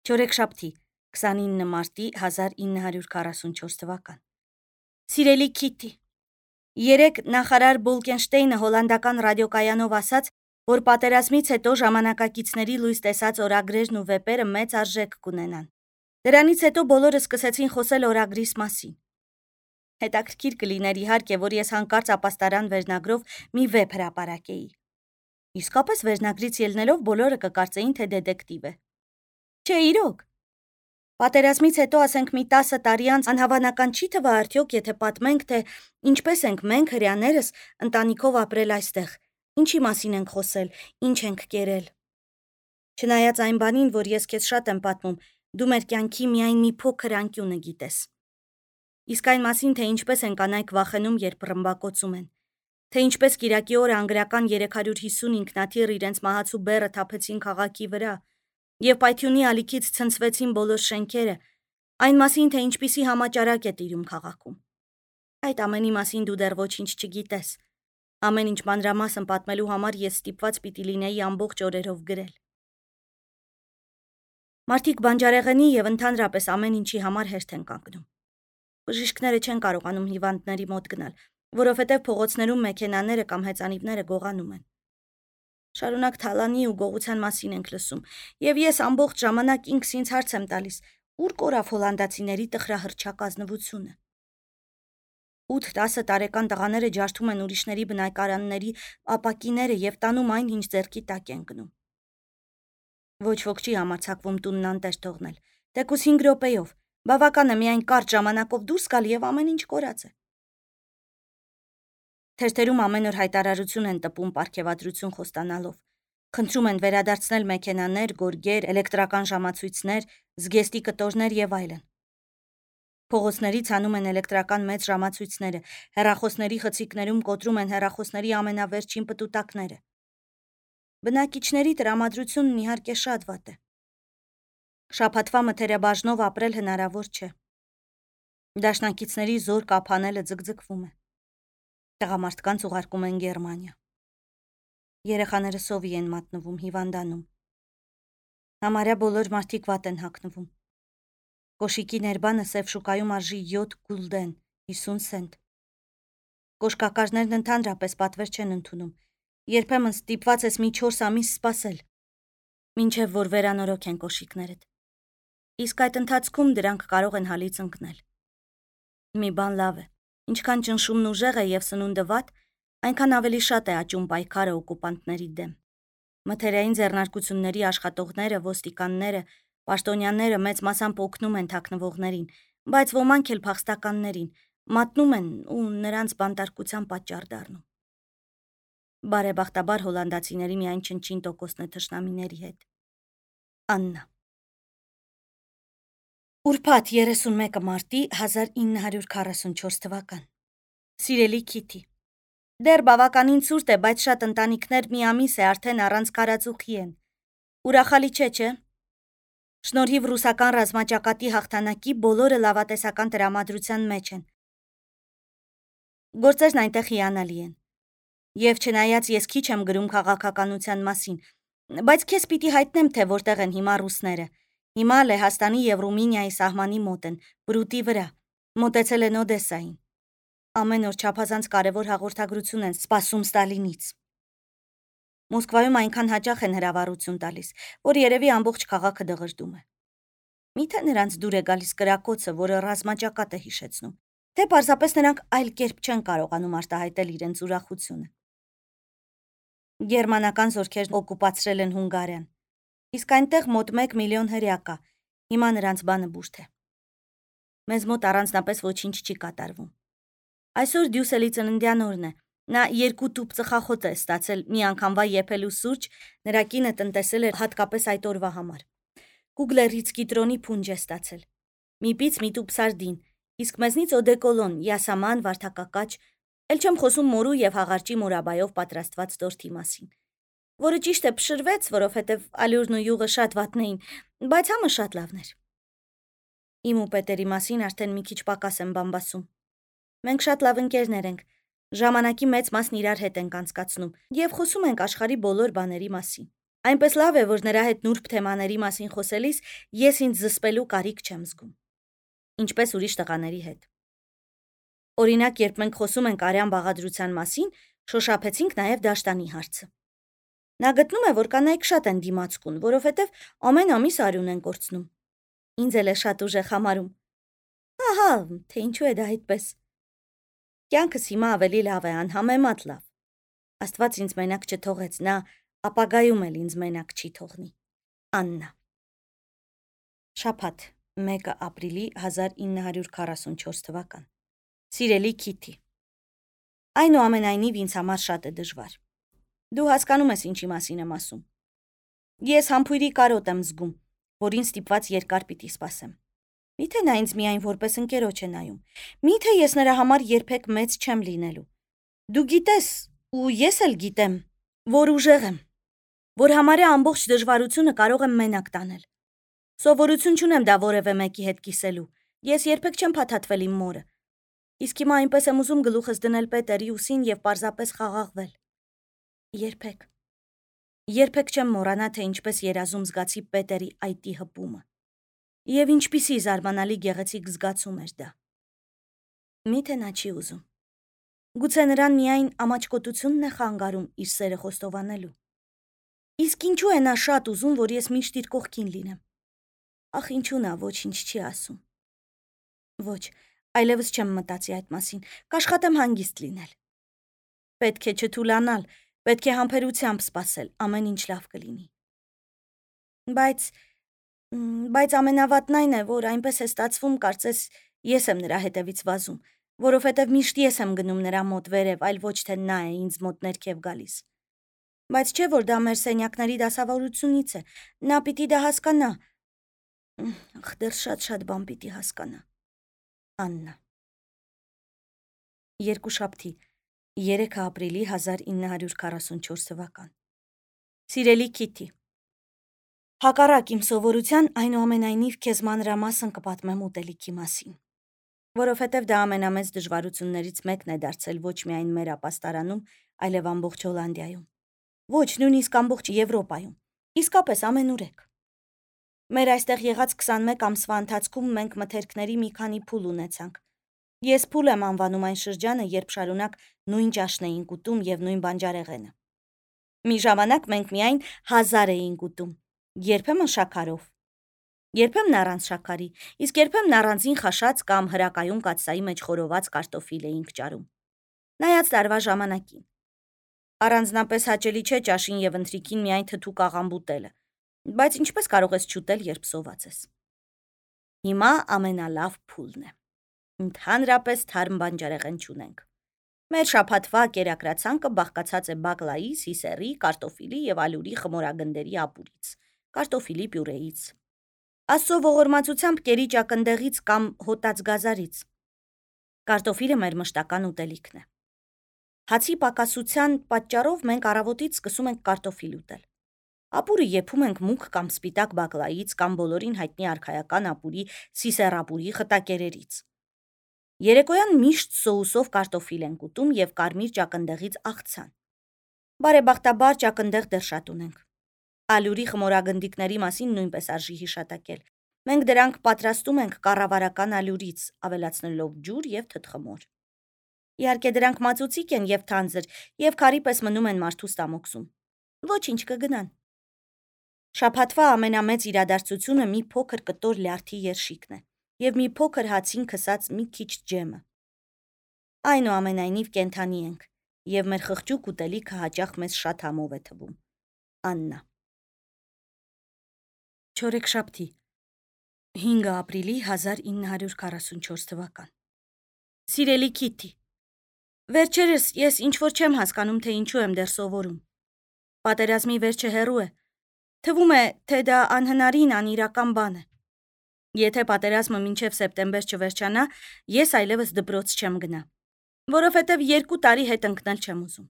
Չորեքշաբթի 29 մարտի 1944 թվական։ Սիրելի Քիթի, երեկ նախարար Բոլկենշտեյնը հոլանդական ռադիոկայանով ասաց, որ պատերազմից հետո ժամանակակիցների լույս տեսած օրագրերն ու վեպերը մեծ արժեք կունենան։ Դրանից հետո բոլորը սկսեցին խոսել օրագրիս մասին։ Հետաքրքիր կլիներ իհարկե, որ ես հանկարծ ապաստարան վերնագրով մի վեպ հրապարակեի։ Իսկապես վերնագրից ելնելով բոլորը կկարծեին, թե դետեկտիվ է։ Չէ, իրոք։ Պատերազմից հետո ասենք մի 10 տարի անց անհավանական չի թվա արդյոք, եթե պատմենք, թե ինչպես ենք մենք հրեաներս ընտանիքով ապրել այստեղ, ինչի մասին ենք խոսել, ինչ ենք կերել։ Չնայած այն բանին, որ ես քեզ շատ եմ պատմում, դու մեր կյանքի միայն մի փոքր անկյունը գիտես։ Իսկ այն մասին, թե ինչպես են կանայք վախենում, երբ ռմբակոծում են, թե ինչպես կիրակի օրը անգլիական 350 ինքնաթիռ իրենց մահացու բեռը թափեցին քաղաքի վրա, եւ պայթյունի ալիքից ցնցվեցին բոլոր շենքերը, այն մասին, թե ինչպիսի համաճարակ է տիրում քաղաքում։ Այդ ամենի մասին դու դեռ ոչինչ չգիտես։ Ամեն ինչ մանրամասն պատմելու համար ես ստիպված պիտի լինեի ամբողջ օրերով գրել։ Մարդիկ բանջարեղենի եւ ընդհանրապես ամեն ինչի համար հերթ են կանգնում։ Բժիշկները չեն կարողանում հիվանդների մոտ գնալ, որովհետեւ փողոցներում մեքենաները կամ հեծանիվները գողանում են։ Շարունակ թալանի ու գողության մասին ենք լսում, եւ ես ամբողջ ժամանակ ինքս ինձ հարց եմ տալիս, ուր կորավ հոլանդացիների տխրահռչակ ազնվությունը։ 8-10 տարեկան տղաները ջարդում են ուրիշների բնակարանների ապակիները եւ տանում այն, ինչ ձեռքի տակ են գնում։ Ոչ ոք չի համարձակվում տունն անտեր թողնել, թեկուզ 5 րոպեով, բավական է միայն կարճ ժամանակով դուրս գալ եւ ամեն ինչ կորած է։ Թերթերում ամեն օր հայտարարություն են տպում պարգևատրություն խոստանալով։ Խնդրում են վերադարձնել մեքենաներ, գորգեր, էլեկտրական ժամացույցներ, զգեստի կտորներ եւ այլն։ Փողոցներից անում են էլեկտրական մեծ ժամացույցները, հեռախոսների խցիկներում կոտրում են հեռախոսների ամենավերջին պտուտակները։ Բնակիչների տրամադրությունն իհարկե շատ վատ է։ Շաբաթվա մթերաբաժնով ապրել հնարավոր չէ։ Դաշնակիցների զոր կափանելը ձգձգվում է։ Տղամարդկանց ուղարկում են Գերմանիա։ Երեխաները սովի են մատնվում, հիվանդանում։ Համարյա բոլոր մարդիկ վատ են հագնվում։ Կոշիկի ներբանը սև շուկայում արժի 7 գուլդեն, 50 սենտ։ Կոշկակարներն ընդհանրապես պատվեր չեն ընդունում։ Երբեմն ստիպված ես մի 4 ամիս սպասել, մինչև որ վերանորոգ են կոշիկներդ։ Իսկ այդ ընթացքում դրանք կարող են հալից ընկնել։ Մի բան լավ է, ինչքան ճնշումն ուժեղ է եւ սնունդը վատ, այնքան ավելի շատ է աճում պայքարը օկուպանտների դեմ։ Մթերային ձեռնարկությունների աշխատողները, ոստիկանները, պաշտոնյաները մեծ մասամբ օգնում են թաքնվողներին, բայց ոմանք էլ փախստականներին մատնում են ու նրանց բանտարկության պատճառ դառնում։ Բարեբախտաբար հոլանդացիների միայն չնչին տոկոսն է թշնամիների հետ։ Աննա։ Ուրբաթ 31 մարտի 1944 թվական։ Սիրելի Քիթի, դեռ բավականին ցուրտ է, բայց շատ ընտանիքներ մի ամիս է արդեն առանց քարածուխի են։ Ուրախալի չէ՞։ Շնորհիվ ռուսական ռազմաճակատի հաղթանակի բոլորը լավատեսական տրամադրության մեջ են։ Գործերն այնտեղ հիանալի են։ Եվ չնայած ես քիչ եմ գրում քաղաքականության մասին, բայց քեզ պիտի հայտնեմ, թե որտեղ են հիմա ռուսները։ Հիմա Լեհաստանի եւ Ռումինիայի սահմանի մոտ են, Բրուտի վրա, մոտեցել են Օդեսային։ Ամեն օր չափազանց կարևոր հաղորդագրություն են սպասում Ստալինից։ Մոսկվայում այնքան հաճախ են հրավառություն տալիս, որ երևի ամբողջ քաղաքը դղրդում է։ Միթե նրանց դուր է գալիս կրակոցը, որը ռազմաճակատ է հիշեցնում, թե պարզապես նրանք այլ կերպ չեն կարողանում արտահայտել իրենց ուրախությունը։ Գերմանական զորքերն օկուպացրել են Հունգարիան, իսկ այնտեղ մոտ 1 միլիոն հրեա կա, հիմա նրանց բանը բուրդ է։ Մեզ մոտ առանձնապես ոչինչ չի կատարվում։ Այսօր Դյուսելի ծննդյան օրն է, նա 2 տուփ ծխախոտ է ստացել մի անգամվա եփելու սուրճ, նրա կինը տնտեսել է հատկապես այդ օրվա համար։ Կուգլերից կիտրոնի փունջ է ստացել, մի պիծ մի տուփ սարդին, իսկ մեզնից օդեկոլոն, յասաման, վարդակակաչ, էլ չեմ խոսում մորու եւ հաղարջի մորաբայով պատրաստված տորթի մասին, որը ճիշտ է փշրվեց, որովհետեւ ալյուրն ու յուղը շատ վատն էին, բայց համը շատ լավն էր։ Իմ ու Պետերի մասին արդեն մի քիչ պակաս եմ բամբասում։ Մենք շատ լավ ընկերներ ենք, ժամանակի մեծ մասն իրար հետ ենք անցկացնում եւ խոսում ենք աշխարհի բոլոր բաների մասին։ Այնպես լավ է, որ նրա հետ նուրբ թեմաների մասին խոսելիս ես ինձ զսպելու կարիք չեմ զգում, ինչպես ուրիշ տղաների հետ։ Օրինակ, երբ մենք խոսում ենք արյան բաղադրության մասին, շոշափեցինք նաև դաշտանի հարցը։ Նա գտնում է, որ կանայք շատ են դիմացկուն, որովհետև ամեն ամիս արյուն են կորցնում։ Ինձ էլ է շատ ուժեղ համարում։ Ահա, թե ինչու է դա այդպես։ Կյանքս հիմա ավելի լավ է, անհամեմատ լավ։ Աստված ինձ մենակ չթողեց, նա ապագայում էլ ինձ մենակ չի թողնի։ Աննա։ Շաբաթ, 1 ապրիլի 1944 թվական։ Սիրելի Քիթի, այնուամենայնիվ ինձ համար շատ է դժվար։ Դու հասկանում ես ինչի մասին եմ ասում։ Ես համբույրի կարոտ եմ զգում, որին ստիպված երկար պիտի սպասեմ։ Միթե նա ինձ միայն որպես ընկերոջ է նայում։ Միթե ես նրա համար երբեք մեծ չեմ լինելու։ Դու գիտես, ու ես էլ գիտեմ, որ ուժեղ եմ, որ համարյա ամբողջ դժվարությունը կարող եմ մենակ տանել։ Սովորություն չունեմ դա որևէ մեկի հետ կիսելու։ Ես երբեք չեմ փաթաթվել իմ մորը։ Իսկ հիմա այնպես եմ ուզում գլուխս դնել Պետերի ուսին եւ պարզապես խաղաղվել։ Երբեք։ Երբեք չեմ մոռանա, թե ինչպես երազում զգացի Պետերի այտի հպումը։ Եվ ինչպիսի զարմանալի գեղեցիկ զգացում էր դա։ Միթե նա չի ուզում։ Գուցե նրան միայն ամաչկոտությունն է խանգարում իր սերը խոստովանելու։ Իսկ ինչու է նա շատ ուզում, որ ես միշտ իր կողքին լինեմ։ Ախ, ինչու նա ոչինչ չի ասում։ Ոչ, այլևս չեմ մտածի այդ մասին, կաշխատեմ հանգիստ լինել։ Պետք է չթուլանալ, պետք է համբերությամբ սպասել, ամեն ինչ լավ կլինի։ Բայց ամենավատն այն է, որ այնպես է ստացվում, կարծես ես եմ նրա հետևից վազում, որովհետև միշտ ես եմ գնում նրա մոտ վերև, այլ ոչ թե նա է ինձ մոտ ներքև գալիս։ Բայց չէ, որ դա մեր սենյակների դասավորությունից է, նա պիտի դա հասկանա։ Ախ, դեռ շատ բան պիտի հասկանա։ Աննա։ Երկուշաբթի, 3 ապրիլի 1944 թվական։ Սիրելի Քիթի, հակառակ իմ սովորության, այնուամենայնիվ քեզ մանրամասն կպատմեմ ուտելիքի մասին, որովհետև դա ամենամեծ դժվարություններից մեկն է դարձել ոչ միայն մեր ապաստարանում, այլև ամբողջ Հոլանդիայում, ոչ նույնիսկ ամբողջ Եվրոպայում, իսկապես ամենուրեք։ Մեր այստեղ եղած 21 ամսվա ընթացքում մենք մթերքների մի քանի փուլ ունեցանք։ Ես փուլ եմ անվանում այն շրջանը, երբ շարունակ նույն ճաշն էինք ուտում եւ նույն բանջարեղենը։ Մի ժամանակ մենք միայն 1000 էինք ուտում, երբեմն շաքարով, երբեմն առանց շաքարի, իսկ երբեմն առանձին խաշած կամ հրակայուն կաթսայի մեջ խորոված կարտոֆիլ էինք ճարում։ Նայած տարվա ժամանակին։ Առանձնապես հաճելի չէ ճաշին եւ ընթրիքին միայն թթու կաղամբ ուտելը, բայց ինչպես կարող ես չուտել, երբ սոված ես։ Հիմա ամենալավ փուլն է։ Ընդհանրապես թարմ բանջարեղեն չունենք։ Մեր շաբաթվա կերակրացանկը բաղկացած է բակլայի, սիսեռի, կարտոֆիլի եւ ալյուրի խմորագնդերի ապուրից, կարտոֆիլի պյուրեից, Աստծո ողորմածությամբ կերի ճակնդեղից կամ հոտած գազարից։ Կարտոֆիլը մեր մշտական ուտելիքն է։ Հացի պակասության պատճառով մենք առավոտից սկսում ենք կարտոֆիլ ուտել։ Ապուրը եփում ենք մուգ կամ սպիտակ բակլայից կամ բոլորին հայտնի արքայական ապուրի, սիսեռապուրի խտակերերից։ Երեկոյան միշտ սոուսով կարտոֆիլ ենք ուտում եւ կարմիր ճակնդեղից աղցան։ Բարեբախտաբար ճակնդեղ դեռ շատ ունենք։ Ալյուրի խմորագնդիկների մասին նույնպես արժի հիշատակել։ Մենք դրանք պատրաստում ենք կառավարական ալյուրից, ավելացնելով ջուր եւ թթխմոր։ Իհարկե դրանք մածուցիկ են եւ թանձր եւ քարի պես մնում են մարդու ստամոքսում։ Ոչինչ կգնան։ Շաբաթվա ամենամեծ իրադարձությունը մի փոքր կտոր լյարդի երշիկն է եւ մի փոքր հացին քսած մի քիչ ջեմը։ Այնուամենայնիվ կենթանի ենք եւ մեր խղճուկ ուտելիքը հաճախ մեզ շատ համով է թվում։ Աննա։ Չորեքշաբթի, 5 ապրիլի 1944 թվական։ Սիրելի Քիթի, վերջերս ես ինչ-որ չեմ հասկանում, թե ինչու եմ դեռ սովորում։ Պատերազմի վերջը հեռու է։ Թվում է, թե դա անհնարին անիրական բան է։ Եթե պատերազմը մինչև սեպտեմբեր չվերջանա, ես այլևս դպրոց չեմ գնա, որովհետև 2 տարի հետ ընկնել չեմ ուզում։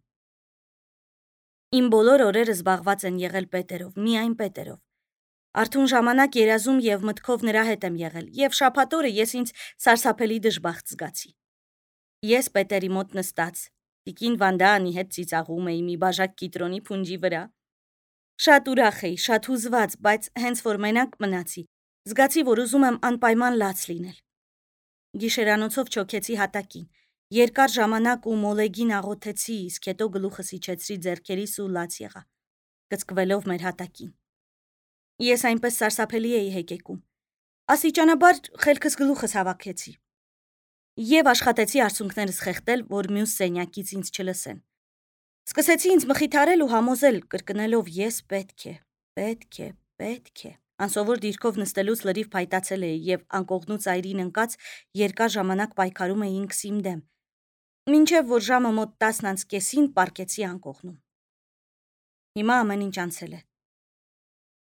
Իմ բոլոր օրերը զբաղված են եղել Պետերով, միայն Պետերով։ Արթուն ժամանակ երազում եւ մտքով նրա հետ եմ եղել, եւ շաբաթօրը ես ինձ սարսափելի դժբախտ զգացի։ Ես Պետերի մոտ նստած, տիկին Վանդանի հետ ծիծաղում էի մի բաժակ կիտրոնի փունջի վրա։ Շատ ուրախ էի, շատ հուզված, բայց հենց որ մենակ մնացի, զգացի, որ ուզում եմ անպայման լաց լինել։ Գիշերանոցով չոքեցի հատակին, երկար ժամանակ ու մոլեգին աղոթեցի, իսկ հետո գլուխս իջեցրի ձեռքերիս ու լաց եղա, կծկվելով մեր հատակին։ Ես այնպես սարսափելի էի հեկեկում։ Աստիճանաբար խելքս գլուխս հավաքեցի եւ աշխատեցի արցունքներս խեղդել, որ մյուս սենյակից ինձ չլսեն։ Սկսեցի ինձ մխիթարել ու համոզել, կրկնելով ես պետք է։ Անսովոր դիրքով նստելուց լրիվ փայտացել էի եւ անկողնու ծայրին ընկած երկար ժամանակ պայքարում էի ինքս իմ դեմ։ Մինչև որ ժամը մոտ 10:30-ին պառկեցի անկողնում։ Հիմա ամեն ինչ անցել է։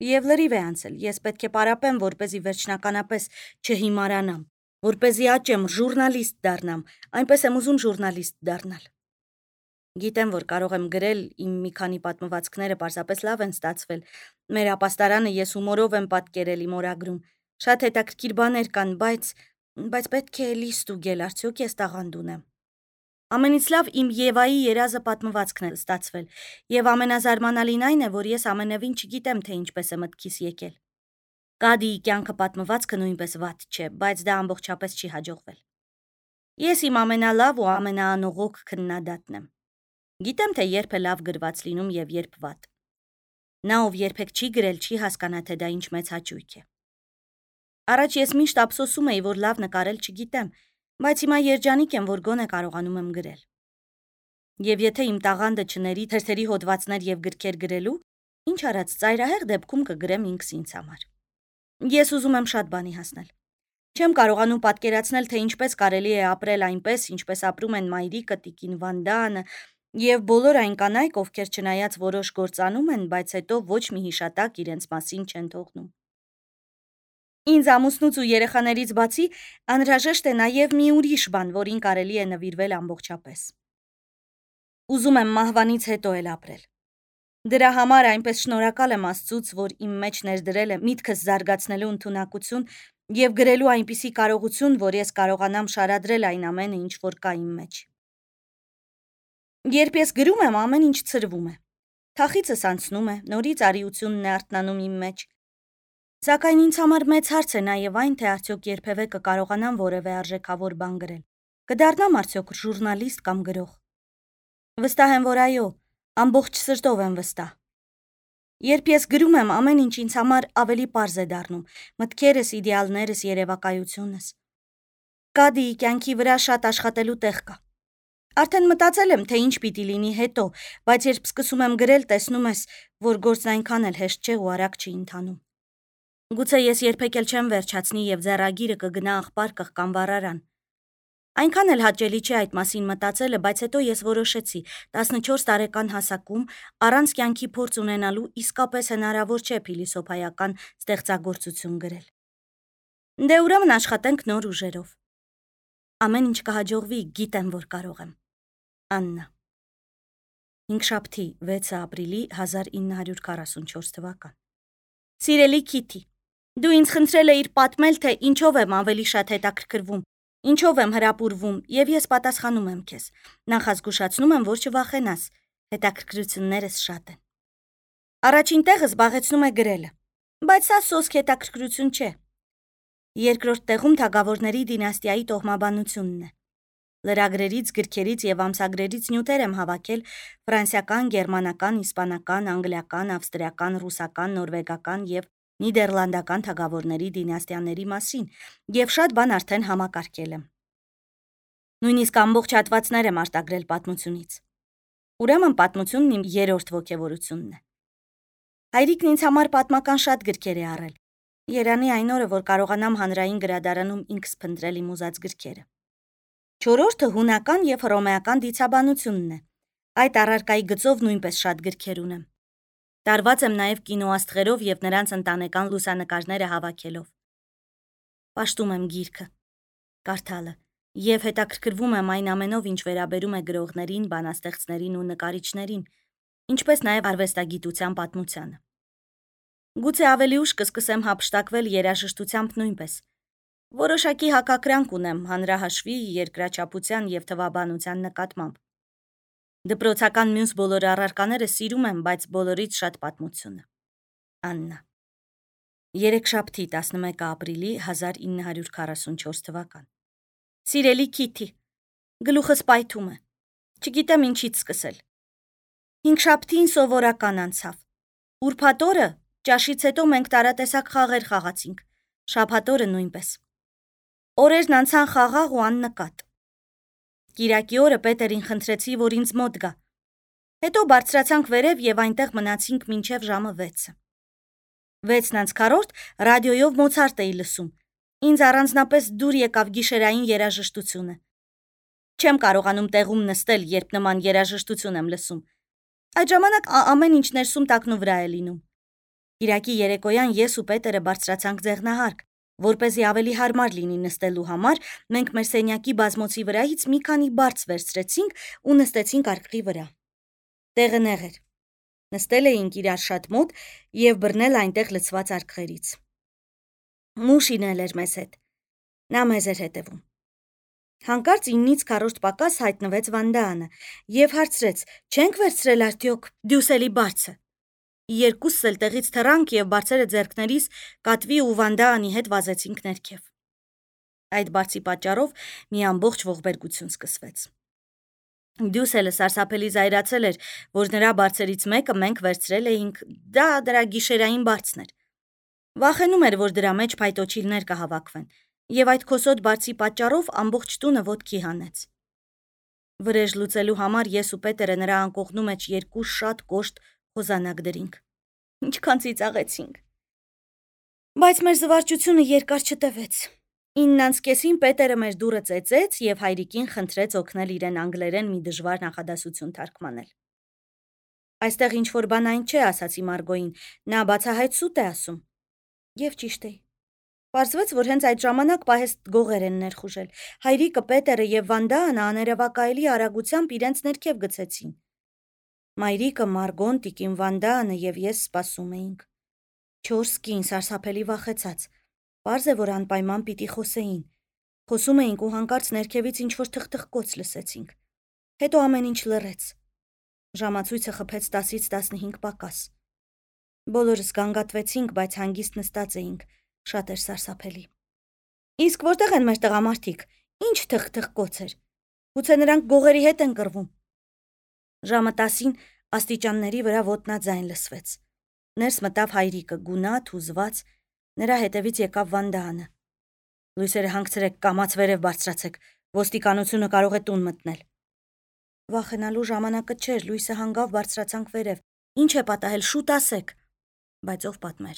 Եվ լրիվ է անցել, ես պետք է պարապեմ, որպեսզի վերջնականապես չհիմարանամ, որպեսզի աճեմ, ժուրնալիստ դառնամ, այնպես եմ ուզում ժուրնալիստ դառնալ։ Գիտեմ, որ կարող եմ գրել, իմ մի քանի պատմվածքները պարզապես լավ են ստացվել, մեր ապաստարանը ես հումորով եմ պատկերել իմ օրագրում, շատ հետաքրքիր բաներ կան, բայց պետք է էլի ստուգել, արդյոք ես տաղանդ ունեմ։ Ամենից լավ իմ Եվայի երազը պատմվածքն է ստացվել, եւ ամենազարմանալին այն է, որ ես ամենևին չգիտեմ, թե ինչպես է մտքիս եկել։ Կադիի կյանքը պատմվածքը նույնպես վատ չէ, բայց դա ամբողջապես չի հաջողվել։ Ես իմ ամենալավ ու ամենաանողոք քննադատն եմ։ Գիտեմ, թե երբ է լավ գրված լինում եւ երբ վատ։ Նա, ով երբեք չի գրել, չի հասկանա, թե դա ինչ մեծ հաճույք է։ Առաջ ես միշտ ափսոսում էի, որ լավ նկարել չգիտեմ, բայց հիմա երջանիկ եմ, որ գոնե կարողանում եմ գրել։ Եվ եթե իմ տաղանդը չների թերթերի հոդվածներ եւ գրքեր գրելու, ինչ արած ծայրահեղ դեպքում կգրեմ ինքս ինձ համար։ Ես ուզում եմ շատ բանի հասնել։ Չեմ կարողանում պատկերացնել, թե ինչպես կարելի է ապրել այնպես, ինչպես ապրում են մայրիկը, տիկին Վանդանը եւ բոլոր այն կանայք, ովքեր չնայած որոշ գործ անում են, բայց հետո ոչ մի հիշատակ իրենց մասին չեն թողնում։ Ինձ ամուսնուց ու երեխաներից բացի անհրաժեշտ է նաեւ մի ուրիշ բան, որին կարելի է նվիրվել ամբողջապես։ Ուզում եմ մահվանից հետո էլ ապրել։ Դրա համար այնպես շնորհակալ եմ Աստծուց, որ իմ մեջ ներդրել է միտքս զարգացնելու ընդունակություն եւ գրելու այնպիսի կարողություն, որ ես կարողանամ շարադրել այն ամենը, ինչ որ կա իմ մեջ։ Երբ ես գրում եմ, ամեն ինչ ցրվում է։ Թախիցս անցնում է, նորից արիությունն է արթնանում իմ մեջ։ Սակայն ինձ համար մեծ հարց է նաեւ այն, թե արդյոք երբևէ կկարողանամ որևէ արժեքավոր բան գրել։ Կդառնամ արդյոք ժուրնալիստ կամ գրող։ Վստահ եմ, որ այո, ամբողջ սրտով եմ վստահ։ Երբ ես գրում եմ, ամեն ինչ ինձ համար ավելի պարզ է դառնում, մտքերս, իդեալներս, երևակայությունս։ Կադիի կյանքի վրա շատ աշխատելու տեղ կա։ Արդեն մտածել եմ, թե ինչ պիտի լինի հետո, բայց երբ սկսում եմ գրել, տեսնում ես, որ գործն այնքան էլ հեշտ չէ ու արագ չի ընթանում։ Գուցե ես երբեք էլ չեմ վերջացնի եւ ձեռագիրը կգնա աղբար կղկան վառարան։ Այնքան էլ հաճելի չէ այդ մասին մտածելը, բայց հետո ես որոշեցի 14 տարեկան հասակում առանց կյանքի փորձ ունենալու իսկապես հնարավոր չէ փիլիսոփայական ստեղծագործություն գրել։ Դե ուրեմն աշխատենք նոր ուժերով։ Ամեն ինչ կհաջողվի, գիտեմ, որ կարող եմ։ Աննա։ Հինգշաբթի 6 ապրիլի 1944 թվական։ Սիրելի Քիթի, դու ինձ խնդրել էիր պատմել, թե ինչով եմ ավելի շատ հետաքրքրվում, ինչով եմ հրապուրվում, եւ ես պատասխանում եմ քեզ։ Նախազգուշացնում եմ, որ չվախենաս, հետաքրքրություններս շատ են։ Առաջին տեղը զբաղեցնում է գրելը, բայց սա սոսկ հետաքրքրություն չէ։ Երկրորդ տեղում թագավորների դինաստիայի տոհմաբանությունն է։ Լրագրերից, գրքերից եւ ամսագրերից նյութեր եմ հավաքել ֆրանսիական, գերմանական, իսպանական, անգլիական, ավստրիական, ռուսական, նորվեգական եւ նիդերլանդական թագավորների դինաստիաների մասին եւ շատ բան արդեն համակարգել եմ։ Նույնիսկ ամբողջ հատվածներ եմ արտագրել պատմությունից։ Ուրեմն պատմությունն իմ երրորդ ոգևորությունն է։ Հայրիկն ինձ համար պատմական շատ գրքեր է առել։ Երանի այն օրը, որ կարողանամ հանրային գրադարանում ինքս փնտրել իմ ուզած գրքերը։ Չորրորդը հունական եւ հռոմեական դիցաբանությունն է։ Այդ առարկայի գծով նույնպես շատ գրքեր ունեմ։ Տարված եմ նաեւ կինոաստղերով եւ նրանց ընտանեկան լուսանկարները հավաքելով։ Պաշտում եմ գիրքը, կարդալը եւ հետաքրքրվում եմ այն ամենով, ինչ վերաբերում է գրողներին, բանաստեղծներին ու նկարիչներին, ինչպես նաեւ արվեստագիտության պատմությանը։ Գուցե ավելի ուշ կսկսեմ հափշտակվել երաժշտությամբ նույնպես։ Որոշակի հակակրանք ունեմ հանրահաշվի, երկրաչափության եւ թվաբանության նկատմամբ։ Դպրոցական մյուս բոլոր առարկաները սիրում եմ, բայց բոլորից շատ պատմությունը։ Աննա։ Երեքշաբթի 11 ապրիլի 1944 թվական։ Սիրելի Քիթի, գլուխս պայթում է։ Չգիտեմ ինչից սկսել։ Հինգշաբթին սովորական անցավ։ Ուրբաթ օրը ճաշից հետո մենք տարատեսակ խաղեր խաղացինք, շաբաթ օրը նույնպես։ Օրերն անցան խաղաղ ու աննկատ։ Կիրակի օրը Պետերին խնդրեցի, որ ինձ մոտ գա։ Հետո բարձրացանք վերև եւ այնտեղ մնացինք մինչև ժամը 6-ը։ 6:40 ռադիոյով Մոցարտ էի լսում։ Ինձ առանձնապես դուր եկավ գիշերային երաժշտությունը։ Չեմ կարողանում տեղում նստել, երբ նման երաժշտություն եմ լսում։ Այդ ժամանակ ամեն ինչ ներսում տակնու վրա է լինում։ Կիրակի երեկոյան ես ու Պետերը բարձրացանք ձեղնահարկ, որպեսզի ավելի հարմար լինի նստելու համար, մենք մեր սենյակի բազմոցի վրայից մի քանի բարձ վերցրեցինք ու նստեցինք արկղի վրա։ Տեղը նեղ էր։ Նստել էինք իրար շատ մոտ եւ բռնել այնտեղ լցված արկղերից։ Մուշին էլ էր մեզ հետ։ Նա մեզ էր հետևում։ Հանկարծ 9-ից քառորդ պակաս հայտնվեց Վանդաանը եւ հարցրեց. «Չենք վերցրել արդյոք Դյուսելի բարձը»։ Երկուսս էլ տեղից թռանք եւ բարձերը ձեռքներիս Կատվի ու Վանդաանի հետ վազեցինք ներքև։ Այդ բարձի պատճառով մի ամբողջ ողբերգություն սկսվեց։ Դյուսելը սարսափելի զայրացել էր, որ նրա բարձերից մեկը մենք վերցրել էինք, դա դրա գիշերային բարձն էր։ Վախենում էր, որ դրա մեջ փայտոչիլներ կհավաքվեն, եւ այդ քոսոտ բարձի պատճառով ամբողջ տունը ոտքի հանեց։ Վրեժ լուծելու համար ես ու Պետերը նրա անկողնու մեջ երկու շատ կոշտ խոզանակ դրինք։ Ինչքան ծիծաղեցինք։ Բայց մեր զվարճությունը երկար չտևեց։ 9:30-ին Պետերը մեր դուռը ծեծեց եւ հայրիկին խնդրեց օգնել իրեն անգլերեն մի դժվար նախադասություն թարգմանել։ Այստեղ ինչ-որ բան այն չէ, ասացի Մարգոյին, նա բացահայտ սուտ է ասում։ Եվ ճիշտ է։ Պարզվեց, որ հենց այդ ժամանակ պահեստ գողեր են ներխուժել։ Հայրիկը, Պետերը եւ Վանդաանը աներևակայելի արագությամբ իրենց ներքև գցեցին։ Մայրիկը, Մարգոն, տիկին Վանդաանը եւ ես սպասում էինք։ 4 կին սարսափելի վախեցած։ Պարզ է, որ անպայման պիտի խոսեին։ Խոսում էինք ու հանկարծ ներքևից ինչ-որ թխթխկոց լսեցինք։ Հետո ամեն ինչ լռեց։ Ժամացույցը խփեց 10-ից 15 պակաս։ Բոլորս գանգատվեցինք, բայց հանգիստ նստած էինք։ Շատ էր սարսափելի։ Իսկ որտեղ են մեր տղամարդիկ։ Ինչ թխթխկոց էր։ Գուցե նրանք գողերի հետ են կռվում։ Ժամը 10-ին աստիճանների վրա ոտնաձայն լսվեց։ Ներս մտավ հայրիկը, գունատ, հուզված, նրա հետևից եկավ Վանդաանը։ Լույսերը հանգցրեք, կամաց վերև բարձրացեք, ոստիկանությունը կարող է տուն մտնել։ Վախենալու ժամանակը չէր, լույսը հանգավ բարձրացանք վերև։ Ինչ է պատահել, շուտ ասեք։ Բայց ով պատմեր։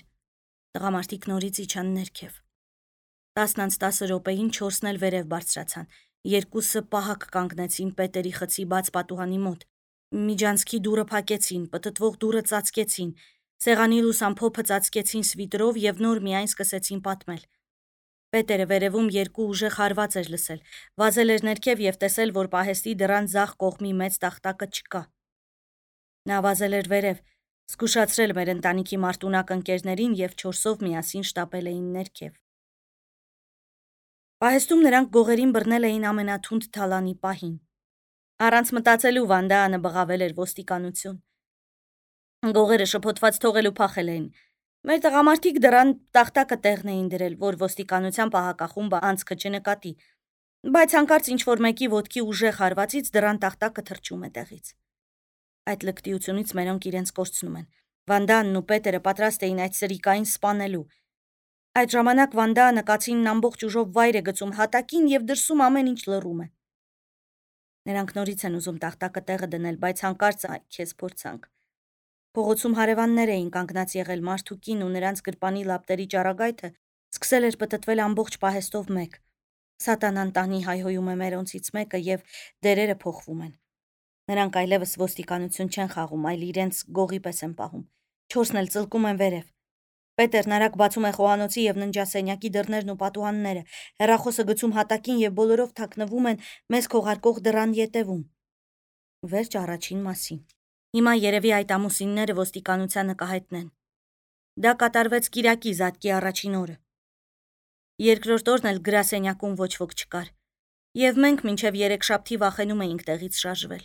Տղամարդիկ նորից իջան ներքև։ 10:10 րոպեին 4-ն էլ վերև բարձրացան։ Երկուսը պահակ կանգնեցին Պետերի խցի բաց պատուհանի մոտ։ Միջանցքի դուռը փակեցին, պտտվող դուռը ծածկեցին, սեղանի լուսամփոփը ծածկեցին սվիտրով եւ նոր միայն սկսեցին պատմել։ Պետերը վերևում երկու ուժեղ հարված էր լսել, վազել էր ներքև եւ տեսել, որ պահեստի դռան ձախ կողմի մեծ տախտակը չկա։ Նա վազել էր վերև, զգուշացրել մեր ընտանիքի մարտունակ ընկերներին եւ 4-ով միասին շտապել էին ներքև։ Պահեստում նրանք գողերին բռնել էին ամենաթունդ թալանի պահին։ Առանց մտածելու Վանդաանը բղավել էր ոստիկանություն։ Գողերը շփոթված թողելու փախել էին։ Մեր տղամարդիկ դռան տախտակը տեղն էին դրել, որ ոստիկանության պահակախումբը անցքը չնկատի, բայց հանկարծ ինչ-որ մեկի ոտքի ուժեղ հարվածից դռան տախտակը թռչում է տեղից։ Այդ լկտիությունից մերոնք իրենց կորցնում են։ Վանդաանն ու Պետերը պատրաստ էին այդ սրիկային սպանելու։ Այդ ժամանակ Վանդաանը կացինն ամբողջ ուժով վայր է գցում հատակին եւ դրսում ամեն ինչ լռում է։ Նրանք նորից են ուզում տախտակը տեղը դնել, բայց հանկարծ քեզ փորձանք։ Փողոցում հարևաններ էին կանգնած եղել մարդուկին ու նրանց գրպանի լապտերի ճառագայթը սկսել էր պտտվել ամբողջ պահեստով մեկ։ Սատանան տանի հայհոյում է մերոնցից մեկը եւ դերերը փոխվում են։ Նրանք այլևս ոստիկանություն չեն խաղում, այլ իրենց գողի պես են պահում։ 4-ն էլ ծլկում են վերև։ Պետերն արագ բացում է խոհանոցի եւ ննջասենյակի դռներն ու պատուհանները, հեռախոսը գցում հատակին եւ բոլորով թաքնվում են մեզ քողարկող դռան ետևում։ Վերջ առաջին մասին։ Հիմա երևի այդ ամուսինները ոստիկանությանը կհայտնեն։ Դա կատարվեց Կիրակի զատկի առաջին օրը։ Երկրորդ օրն էլ գրասենյակում ոչ ոք չկար, եւ մենք մինչեւ երեքշաբթի վախենում էինք տեղից շարժվել։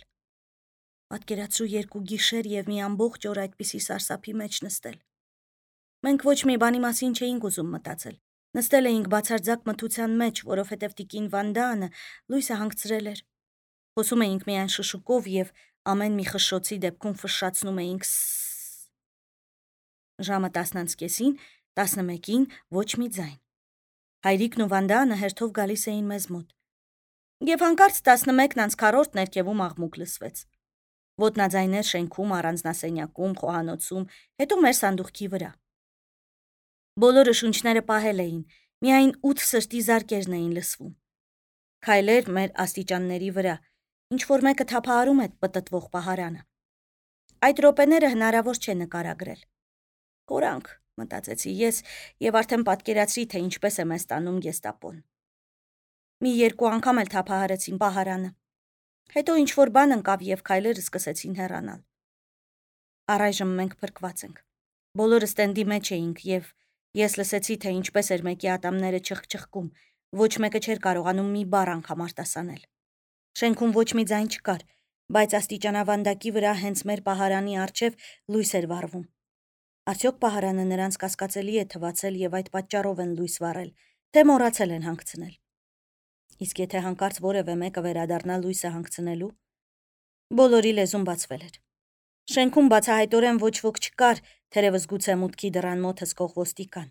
Պատկերացրու 2 գիշեր եւ մի ամբողջ օր այդպիսի սարսափի մեջ նստել։ Մենք ոչ մի բանի մասին չէինք ուզում մտածել։ Նստել էինք բացարձակ մթության մեջ, որովհետև տիկին Վանդանը լույսը հանգցրել էր։ Խոսում էինք միայն շշուկով եւ ամեն մի խշշոցի դեպքում ֆշշացնում էինք «սսս»։ Ժամը 10:30-ին, 11-ին ոչ մի ձայն։ Հայրիկն ու Վանդանը հերթով գալիս էին մեզ մոտ։ Եվ հանկարծ 11:40 ներքևում աղմուկ լսվեց։ Ոտնաձայներ շենքում, առանձնասենյակում, խոհանոցում, հետո մեր սանդուղքի վրա։ Բոլորը շունչները պահել էին, միայն 8 սրտի զարկերն էին լսվում։ Քայլեր մեր աստիճանների վրա, ինչ-որ մեկը թափահարում է պտտվող պահարանը։ Այդ րոպեները հնարավոր չէ նկարագրել։ Կորանք, մտածեցի ես, եւ արդեն պատկերացրի, թե ինչպես է մեզ տանում գեստապոն։ Մի 2 անգամ էլ թափահարեցին պահարանը։ Հետո ինչ-որ բան ընկավ եւ քայլերը սկսեցին հեռանալ։ Առայժմ մենք փրկված ենք։ Բոլորը ստենդի մեջ էինք եւ ես լսեցի, թե ինչպես էր մեկի ատամները չխչխկում, ոչ մեկը չէր կարողանում մի բառ անգամ արտասանել։ Շենքում ոչ մի ձայն չկար, բայց աստիճանավանդակի վրա հենց մեր պահարանի առջև լույս էր վառվում։ Արդյոք պահարանը նրանց կասկածելի է թվացել եւ այդ պատճառով են լույս վառել, թե մոռացել են հանգցնել։ Իսկ եթե հանկարծ որևէ մեկը վերադառնա լույսը հանգցնելու, բոլորի լեզուն բացվել էր։ Շենքում բացահայտորեն ոչ ոք չկար, թերևս գուցե մուտքի դռան մոտ հսկող ոստիկան։